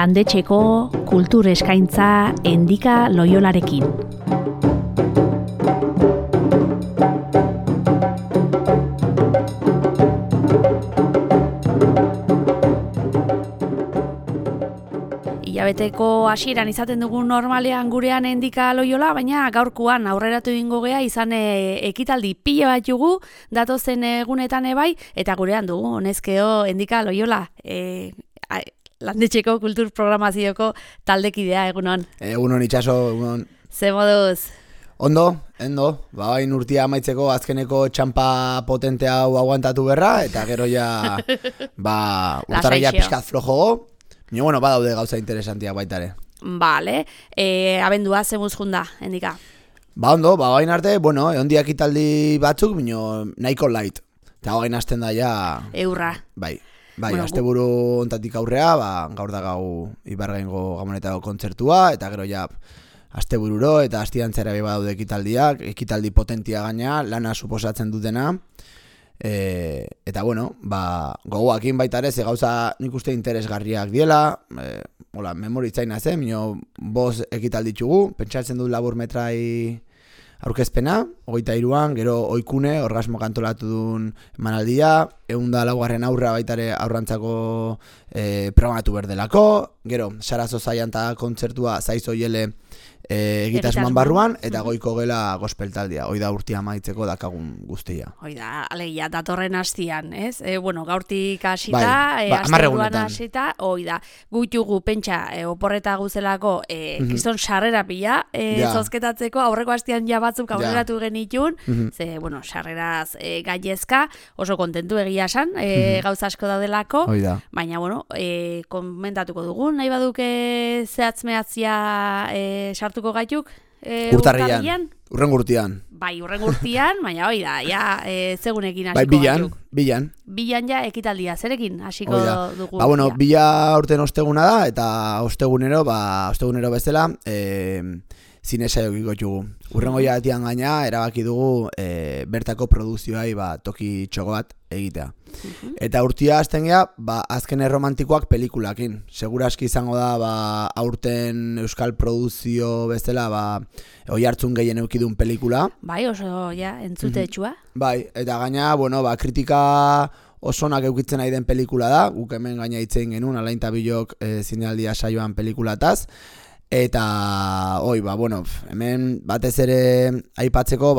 landetxeko kultur eskaintza Endika Loiolarekin. Hilabeteko hasieran izaten dugu normalean gurean Endika Loiola, baina gaurkoan aurreratu egingo gea izan ekitaldi pila bat jugu, datozen egunetan ebai, eta gurean dugu, honezkeo Endika Loiola, landetxeko kultur programazioko taldekidea, egunon. Egunon itxaso, egunon. Ze moduz? Ondo, bain urtia amaitzeko azkeneko txampa potente hau aguantatu berra, eta gero ja, urtarria pixkat flojogo. Bueno, badaude gauza interesantiak baitare. Vale, abendua zemuz junda, Endika? Ondo, bain arte, ondiak italdi batzuk, nahiko light. Eta bain hasten da ja... Eurra. Bai, asteburu ontatik aurrea, gaur da gau Ibargaingo Gamonetako kontzertua, eta gero ja astebururo eta astiantzera badaude ekitaldiak, ekitaldi potentia gaina, lana suposatzen dutena. Eta gogoakin baita ere, ze gauza nik uste interesgarriak diela, memoritzaina zen, boz ekitalditzugu, pentsatzen dut labur metrai aurkezpena, 23an, gero oikune, orgasmo kantolatu duen emanaldia, 104 aurra baita ere aurrantzako programatu berdelako, gero Sarazo Zaianta kontzertua Zaizo Jele egitasmoan barruan, eta goiko gela gospeltaldia, hoi da urtia amaitzeko dakagun guztia. Hoi da, alegia, datorren hastian, ez? Gaurtik hasita, asteburuan hasita, hoi da, guitugu pentsa oporreta guzelako kriston sarrera pila, zozketatzeko, aurreko hastian ja batzuk aurreratu genitun, ze, sarreraz gaiezka, oso kontentu egia esan, gauza asko daudelako, baina, komentatuko dugu, nahi baduke zehatz-mehatzia sartuko gaituk urtarrian, urrengo urtean. Bai, urrengo urtean, baina hoi da, zegunekin hasiko gaituk. Bilan ja ekitaldia, zerekin hasiko dugu. Bila urten osteguna da, eta ostegunero bezala, zine saiok ikotxugu. Urrengo jatian gaina, erabaki dugu bertako produzioai toki txoko bat egitea. Eta urtia hasten gea, azken erromantikoak pelikulakin. Seguraski izango da, aurten euskal produzio bezala, oi hartzun gehien eukidun pelikula. Bai, oso, entzute etxua. Bai, eta gaina, kritika osonak eukitzen nahi den pelikula da. Guk hemen gaina itzen genuen, Alain Tabilok zinealdia saioan pelikulataz. Eta, hemen batez ere aipatzeko,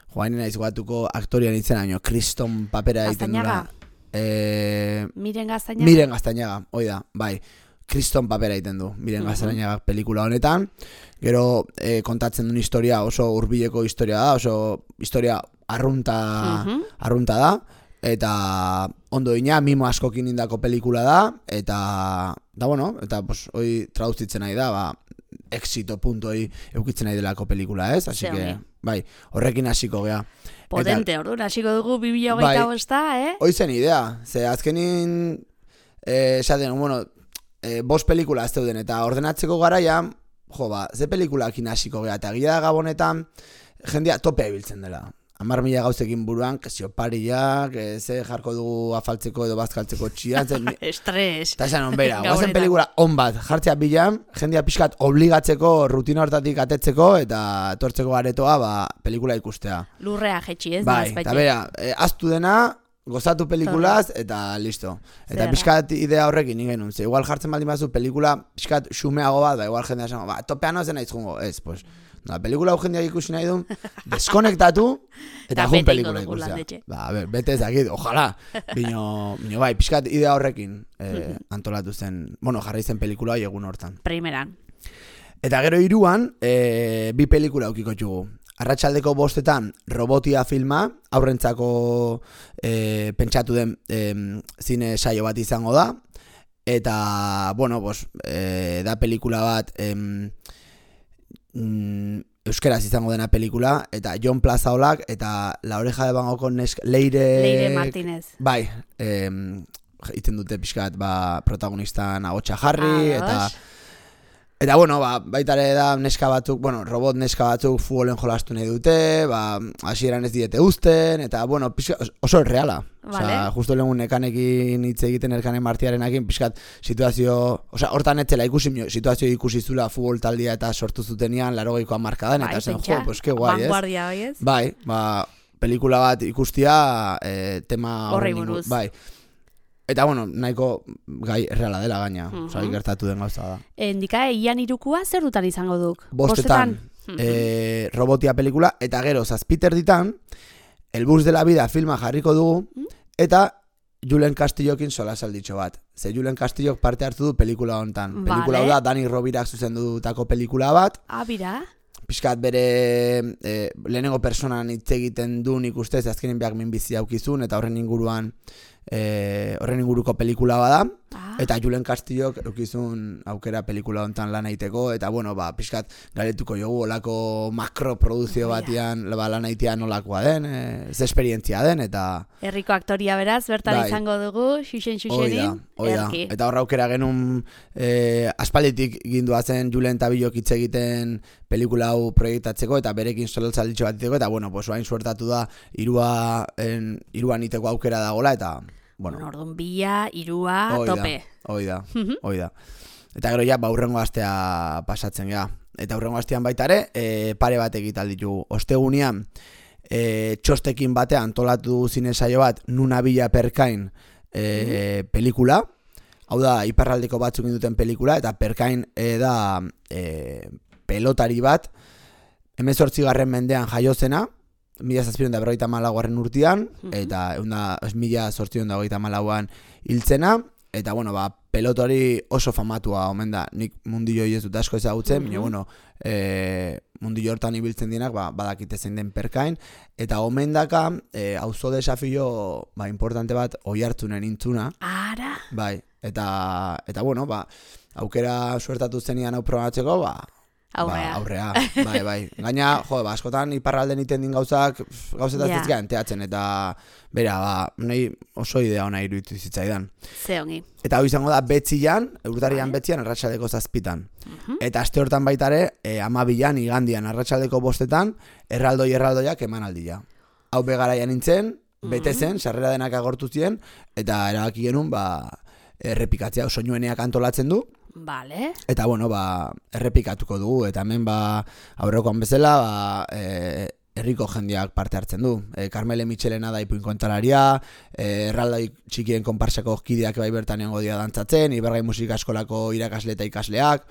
joainen naiz gogatuko aktorian itzena, kriston papera egiten dula. Miren Gaztañaga? Miren Gaztañaga, hoi da, bai. Kriston papera egiten du, Miren Gaztañaga pelikula honetan. Gero kontatzen duen historia, oso hurbileko historia da, oso historia arrunta da. Eta ondo ina, mimo askokin indako pelikula da. Eta hoi traduzitzen nahi da, exito punto hoi eukitzen nahi delako pelikula, ez? Así que, horrekin hasiko gea. Potente, orduan, hasiko dugu 2025, Hoi zen idea, ze azkenin, esaten, bost pelikula ez zeuden, eta ordenatzeko garaian, ze pelikulakin hasiko gea, eta gila da gabonetan, jendea topea ibiltzen dela. 10.000 gauzekin buruan, kesio pariak, ze jarko dugu afaltzeko edo bazkaltzeko txian. Estres. Eta esan onbera, guazen pelikula on bat jartzea bilan, jendea pixkat obligatzeko, rutina hortatik atetzeko, eta etortzeko garetoa, pelikula ikustea. Lurrea jetxi, ez? Bai, eta bera, aztu dena, gozatu pelikulaz, eta listo. Eta pixkat idea horrekin ingenun, ze igual jartzen baldin bazu pelikula pixkat xumeago bat, igual jendea esan, topean ozen naiz jungo, ez, pues... pelikula hau jendeak ikusi nahi dun, deskonektatu, eta jun pelikula ikustea. Bete ezakit, ojala. Bino bai, pixkat idea horrekin antolatu zen, jarri zen pelikula egun hortan. Primeran. Eta gero 3an, bi pelikula aukiko txugu. Arratsaldeko 5 Robotia filma, aurrentzako pentsatu den zine saio bat izango da. Eta, da pelikula bat... euskeraz izango dena pelikula, eta Jon Plazaolak eta La Oreja de Van Gogh Leire Martínez. Bai, iten dute pixkat protagonistan agotxa jarri, eta Eta, bueno, baita ere da neska batzuk, robot neska batzuk futbolen jolastu nahi dute, hasieran ez diete uzten, eta, bueno, oso erreala. Vale. Osea, justo lehenun nekanekin hitz egiten Elkanen Martiarenakin, pixkat situazio, hortan etzela situazio ikusi zula futbol taldia eta sortu zutenean 80ko hamarkadan, eta zen, pues que guai, vanguardia, ez? Bai, pelikula bat ikustia, tema horri buruz. Bai. Eta, bueno, nahiko gai erreala dela gaina, osea, gertatu den gauza da. Endika, Ian Irukua zer dutan izango duk? Bostetan, robotia pelikula, eta gero, zazpiter ditan, El bus de la vida filma jarriko dugu, eta Julen Castillokin solasalditxo bat. Ze Julen Castillok parte hartu du pelikula honetan. Pelikula da, Dani Robirak zuzendutako pelikula bat. Bira. Piskat bere lehenengo personan hitz egiten du nik ustez, azkenen beak minbizi aukizun, eta horren inguruko pelikula bada. Eta Julen Castillok eukizun aukera pelikula honetan lan egiteko, eta bueno, piskat galetuko jogu olako makroproduzio batian lan egitea nolakoa den, ez esperientzia den, eta... Herriko aktoria beraz, bertan izango dugu, xuxenin, erki. Eta horra aukera genuen aspalditik ginduazen Julen eta Bilok hitz egiten pelikula hau proiektatzeko, eta berekin solaltzalditxo bat iteko, eta bueno, oain suertatu da iruan iteko aukera dagoela, eta... Orduan bila, irua, tope. Hoi da. Eta gero ja, urrengo astea pasatzen gea. Eta urrengo astean baita ere, pare bat egital ditugu. Ostegunean, txostekin batean antolatu zine saio bat, Nuna Bila Perkain pelikula. Hau da, iparraldeko batzuk induten pelikula, eta Perkain da pelotari bat, 18. mendean jaiozena, 1754 urtean, eta 1824an hiltzena, eta bueno, pelotori oso famatua omen da, nik mundillo ez dut asko ezagutzen, baina bueno, mundillo hortan ibiltzen dienak, badakite zein den Perkain, eta omen daka, auzo desafio, importante bat, Oiartzunen intzuna. Ara! Bai, eta bueno, aukera suertatu zenian hau probatzeko, aurrea. Bai. Gaina, askotan iparralden iten din gauzetaz enteatzen, eta bera, nahi oso idea ona iruditu zitzaidan. Ze ongi. Eta hau izango da Betzian, urtarian Betzian, arratsaldeko 7. Eta aste hortan baitare, 12an, igandian, arratsaldeko 5, erraldoiak emanaldia. Hau begaraian nintzen, bete zen, sarrera denak agortu ziren, eta erabaki genuen, errepikatzea, soinueneak antolatzen du. Vale. Eta bueno, errepikatuko dugu, eta hemen aurrekoan bezala, herriko jendeak parte hartzen du. Carmele Michelena da ipuin kontalaria, erraldai txikien konparsako kideak bai bertan egongo dira dantzatzen, Ibergai musika eskolako irakasle eta ikasleak.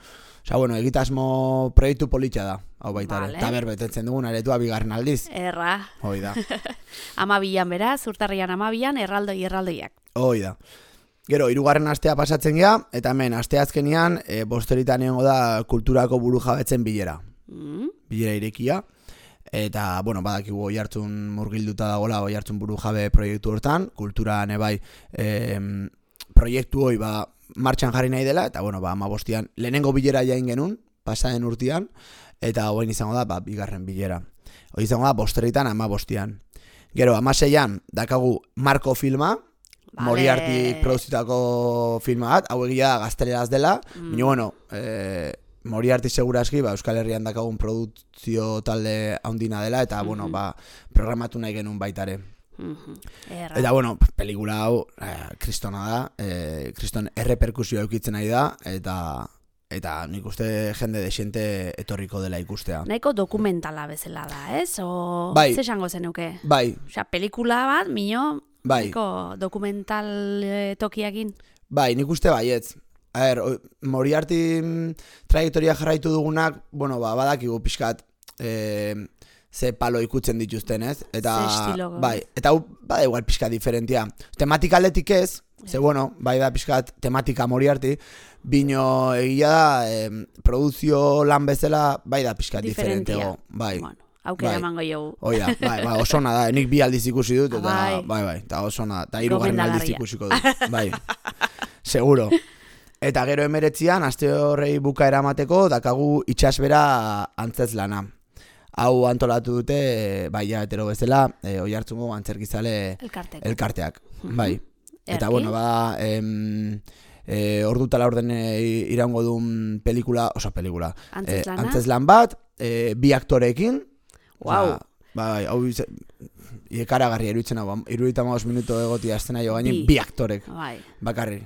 Osea, bueno, egitasmo proiektu politxa da, hau baita ere. Eta berbetetzen dugun aretua 2. aldiz. Erra. Hoi da. 12an beraz, urtarrian 12an, erraldoiak. Hoi da. Gero, 3. astea pasatzen gea, eta hemen, asteazkenean, bosteritan egongo da kulturako burujabetzen bilera. Bilera irekia. Eta, bueno, badakigu Oiartzun murgilduta dagoela, Oiartzun burujabe proiektu hortan, kultura nebai proiektu hoi martxan jarri nahi dela, eta, bueno, 15an, lehenengo bilera jain genuen, pasaden urtean, eta hoain izango da, 2. bilera. Hoi izango da, bosteritan 15an. Gero, 16an, dakagu Marko filma, Moriarty produzitako filma bat, hau egia da gazteleraz dela, baina bueno, Moriarty segurazki Euskal Herrian dakagun produkzio talde handina dela, eta bueno, programatu nahi genuen baitare. Eta bueno, pelikula hau kristona da, kriston erreperkusio eukitzen nahi da, eta nik uste jende desiente etorriko dela ikustea. Nahiko dokumentala bezala da, ez? Bai. Ze esango zenuke? Bai. Osea, pelikula bat, mino... Bai. Dokumental tokiakin? Bai, nik uste baietz. Moriarty trajektoria jarraitu dugunak, bueno, badakigu pixkat ze palo ikutzen dituzten, ez? Eta, bai, eta hau, bada igual pixkat diferentia. Tematika aldetik ez, ze bueno, bai da pixkat tematika Moriarty, bino egia da, produzio lan bezala, bai da pixkat diferentego. Bai. Bueno. Aukera emango jogu. Oia, oso ona da, nik 2 aldiz ikusi dut, eta eta oso ona, eta 3. aldiz ikusiko dut, bai, seguro. Eta gero 19an, aste horrei buka eramateko, dakagu itxasbera antzez lana. Hau antolatu dute, ja, etero bezala, Oiartzungo antzerkizale elkarteak, bai. Eta bueno, ordu tala orden iraungo duen pelikula, antzeslan bat, bi aktoreekin. Wow. Bai, hau ikaragarria iruditzen hau, 75 minuto egotia estena jo gainen, bi aktorek, bakarri.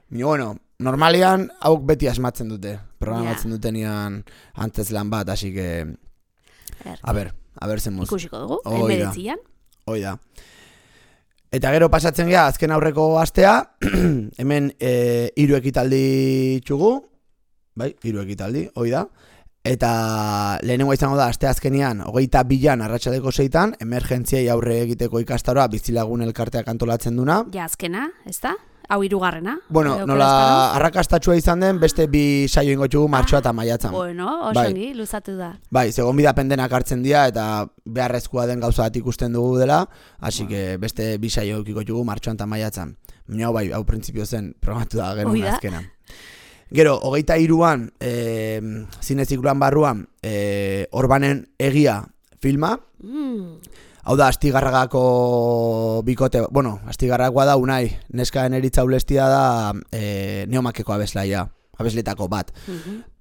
Bueno, normalian hauk beti asmatzen dute, programatzen dutenian antzeslan bat, así que a ver zen muz. Ikusiko dugu, emeretzian. Hoi da. Eta gero pasatzen gea, azken aurreko astea, hemen 3 ekitaldi txugu, bai, 3 ekitaldi, hoi da. Eta lehenengoa izango da, aste azkenian, 22an arratsaldeko 6an, emergentziei aurre egiteko ikastaroa bizilagun elkarteak antolatzen duna. Ja, azkena, ez da? Hau 3. Bueno, nola arrakastatxua izan den, beste 2 saio ingo txugu martxoa eta maiatzan. Bueno, osongi, luzatu da. Bai, segon bidapendenak hartzen dira, eta beharrezkoa den gauza bat ikusten dugu dela, hasi que beste 2 saio ikiko txugu martxoan eta maiatzan. Baina bai, hau printzipio zen, programatu da genuen azkena. Gero, 23an, zinezikluan barruan, Orbanen egia filma. Hau da, Astigarragako bikote, bueno, Astigarragoa da Unai, neska eneritza ulestia da Neomakeko abeslaia, abesletako bat.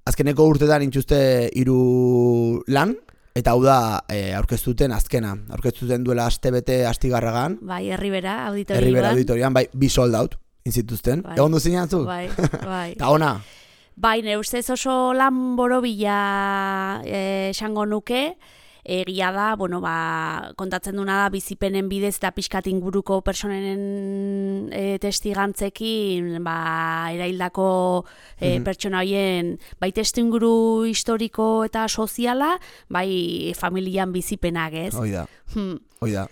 Azkeneko urtetan intxuste 3 lan, eta hau da aurkeztuten azkena. Aurkeztuten duela astebete Astigarragan. Bai, Herribera auditorian. Bai, 2 sold out. Inzituzten, egon duzinean zu? Bai. Ta ona? Bai, nire ustez oso lan borobila esango nuke, egia da, bueno, kontatzen duna da bizipenen bidez eta pixkat inguruko personen testigantzekin, eraildako pertsona horien, bai testuinguru historiko eta soziala, bai familian bizipenak, ez? Hoi da.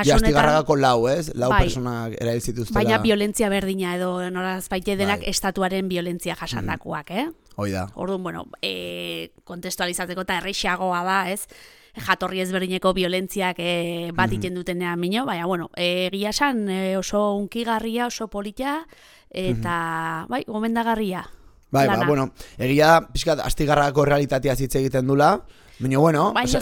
Ja, Astigarragako 4, ez? 4 personak erail zituztela. Baina violentzia berdina edo noraz baite denak estatuaren violentzia jasandakoak, Hoi da. Orduan, bueno, kontestualizateko eta erreixagoa da, ez? Jatorri ezberdineko violentziak bat iten dutenean mino, baina, bueno, egia esan oso unkigarria, oso polita, eta, bai, gomendagarria. Bai, bueno, egia da, pixkat, Astigarragako realitatea hitz egiten dula, baina,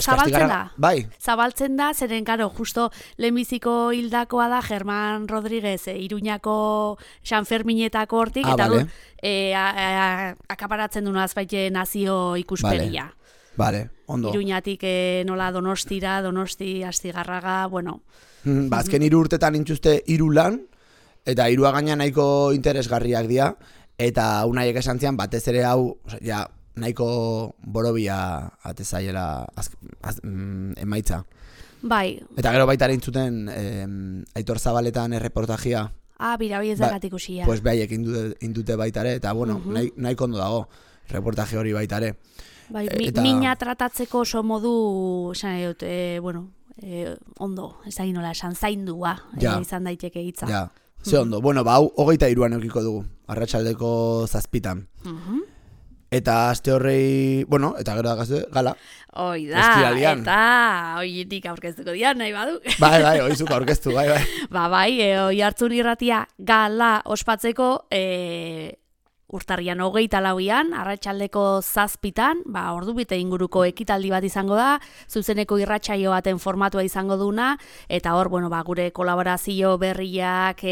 zabaltzen da. Bai. Zabaltzen da, zeren, karo, justo lehenbiziko hildakoa da Germán Rodríguez, Iruñako San Ferminetako hortik, eta akaparatzen duna azbaite nazio ikuspegia. Vale, ondo. Iruñatik nola Donosti, Astigarraga, bueno. Azken 3 urtetan intxuste 3 lan, eta 3 gaina nahiko interesgarriak dira, eta Unaiek esan zian, batez ere hau, ja, nahiko borobia atezaiela emaitza. Bai. Eta gero baita intzuten Aitor Zabaletan erreportajia. Bira, hoi ez dagatik usia. Pues behaiek indute baitare, eta bueno, nahiko ondo dago reportaje hori baitare. Bai, mina tratatzeko oso modu, bueno, ondo, ez da ginola, esan zaindua, izan daiteke hitza. Ja, ze ondo. Bueno, hau 23an eukiko dugu, arratsaldeko 7an. Eta aste horrei, bueno, eta gero dagazte, gala. Hoi da, eta hoietik aurkeztuko dian, nahi badu. Bai, hoizuk aurkeztu, bai. Bai, hoi hartzun irratia gala ospatzeko, urtarrian 24an, arratsaldeko 7an, ordubete inguruko ekitaldi bat izango da, zuzeneko irratsaio baten formatua izango duna, eta hor, bueno, gure kolaborazio berriak,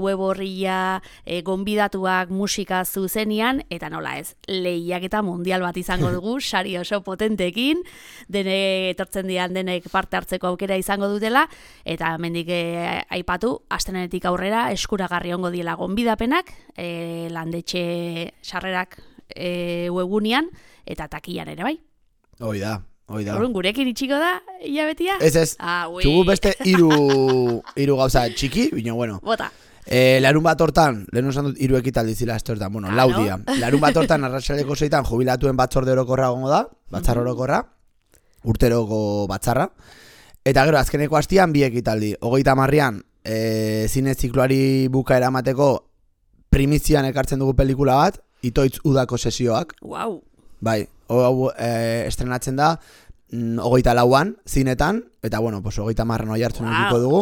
web horria, gonbidatuak musika zuzenian, eta nola ez, lehiak eta mundial bat izango dugu, sari oso potentekin, etortzen dian denek parte hartzeko aukera izango dutela, eta mendik aipatu, astenetik aurrera eskuragarri ongo diela gonbidapenak, landetxe sarrerak webgunean eta takian ere bai. Hoi da. Horren gurekin itxiko da hilabetia? Ez. Txugu beste 3 gauza txiki, baina bueno. Bota. Larun bat hortan, lehen osan dut 3 ekitaldi zila estortan, bueno, laudia. Larun bat hortan arratsaldeko 6an jubilatuen batzorde orokorra gongo da, batzar orokorra, urteroko batzarra. Eta gero azkeneko hastian 2 ekitaldi. 30an zine zikloari bukaera emateko primizian ekartzen dugu pelikula bat, Itoitz udako sesioak. Wow. Bai, hau estrenatzen da 24an zinetan, eta bueno, 30an oihartzun edukiko dugu.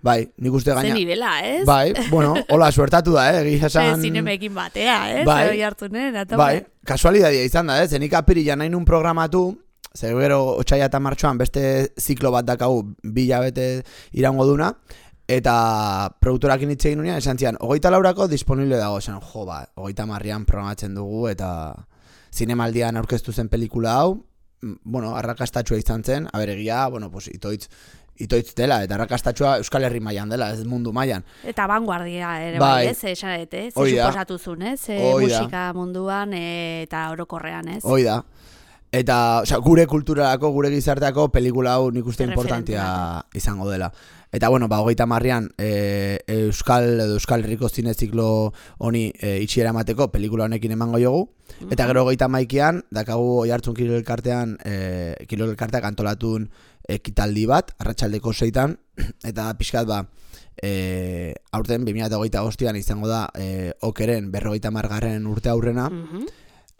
Bai, nik uste gaina. Zen nivela, ez? Bai, bueno, hola, suertatu da, egia esan. Zinemekin batea, ez? Bai, oihartzunen, bai, kasualidadia izan da, ez? Nik apirilan nahi nun programatu, zer gero 8 eta martxoan beste ziklo bat dakagu 2 hilabete iraungo duna, Eta produktorakin hitz egin unean, esan zian, 24 disponible dago, esan, 30an programatzen dugu, eta zinemaldian aurkeztu zen pelikula hau, bueno, arrakastatxua izan zen, egia, bueno, pues, itoitz dela, eta arrakastatxua Euskal Herri mailan dela, ez mundu mailan. Eta vanguardia ere bai, ez, ez suposatuzun, ez, musika munduan eta orokorrean, ez. Hoi da. Eta, gure kulturarako, gure gizarteako pelikula hau nik uste importantia izango dela. Eta, bueno, 30an Euskal Herriko zineziklo honi itxiera emateko pelikula honekin emango jogu. Eta gero 31an, dakagu Oiartzun Kirol-Elkarteak antolatun ekitaldi bat, arratsaldeko 6an, eta pixkat aurten 2025an izango da okeren 50. urte aurrena.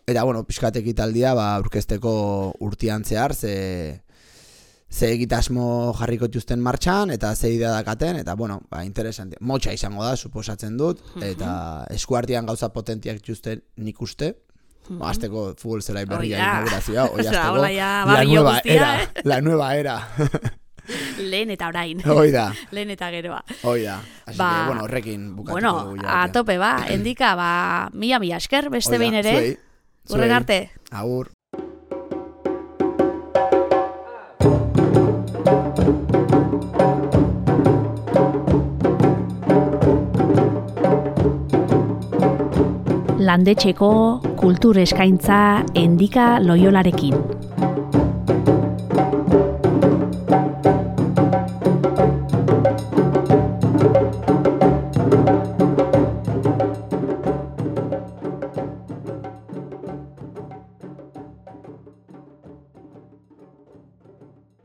Eta, bueno, pixkat ekitaldia aurkezteko urtean zehar, ze egitasmo jarriko dituzten martxan, eta ze idea dakaten, eta, bueno, interesante. Motxa izango da, suposatzen dut, eta eskuartian gauza potentiak dituzten nik uste. Azteko futbol zelai berria inaugurazioa, la nueva era. Lehen eta orain. Oida. Lehen eta geroa. Oida. Así que, bueno, horrekin bukatuko dugu. Bueno, a tope, endika, mila esker, beste behin ere. Urren arte. Agur. Landetxeko kultur eskaintza Endika Loiolarekin.